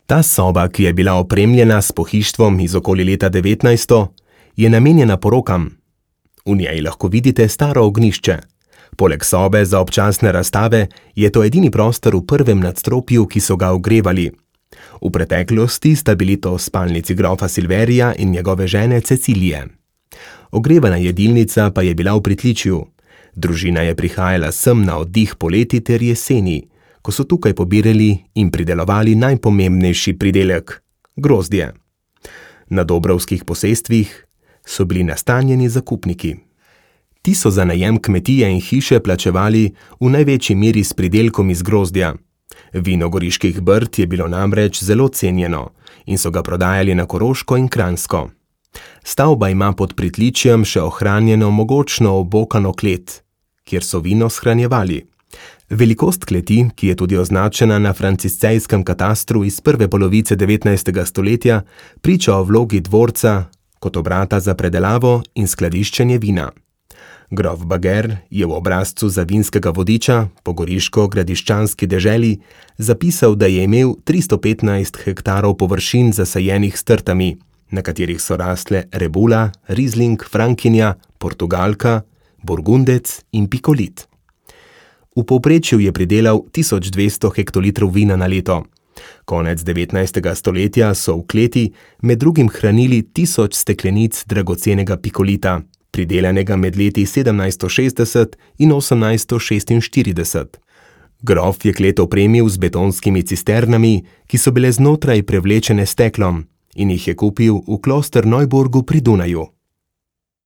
Ta soba, ki je bila opremljena s pohištvom iz okoli leta 1900, je namenjena porokam. V njej lahko vidite staro ognjišče. Poleg sobe za občasne razstave je to edini prostor v prvem nadstropju, ki so ga ogrevali. V preteklosti sta bili to spalnici grofa Silverija in njegove žene Cecilije. Ogrevana jedilnica pa je bila v pritličju. Družina je prihajala sem na oddih poleti ter jeseni, ko so tukaj pobirali in pridelovali najpomembnejši pridelek – grozdje. Na Dobrovskih posestvih so bili nastanjeni zakupniki. Ti so za najem kmetije in hiše plačevali v največji meri s pridelkom iz grozdja. Vino Goriških brd je bilo namreč zelo cenjeno in so ga prodajali na Koroško in Kranjsko. Stavba ima pod pritličjem še ohranjeno mogočno obokano klet, kjer so vino shranjevali. Velikost kleti, ki je tudi označena na franciscejskem katastru iz prve polovice 19. stoletja, priča o vlogi dvorca kot obrata za predelavo in skladiščenje vina. Grof Bager je v obrazcu za vinskega vodiča po goriško-gradiščanski deželi zapisal, da je imel 315 hektarov površin zasajenih s trtami, na katerih so rastle rebula, rizling, frankinja, portugalka, burgundec in pikolit. V povprečju je pridelal 1200 hektolitrov vina na leto. Konec 19. stoletja so v kleti med drugim hranili 1000 steklenic dragocenega pikolita, pridelanega med leti 1760 in 1846. Grof je klet opremil z betonskimi cisternami, ki so bile znotraj prevlečene s steklom, in jih je kupil v Kloster Neuburgu pri Dunaju.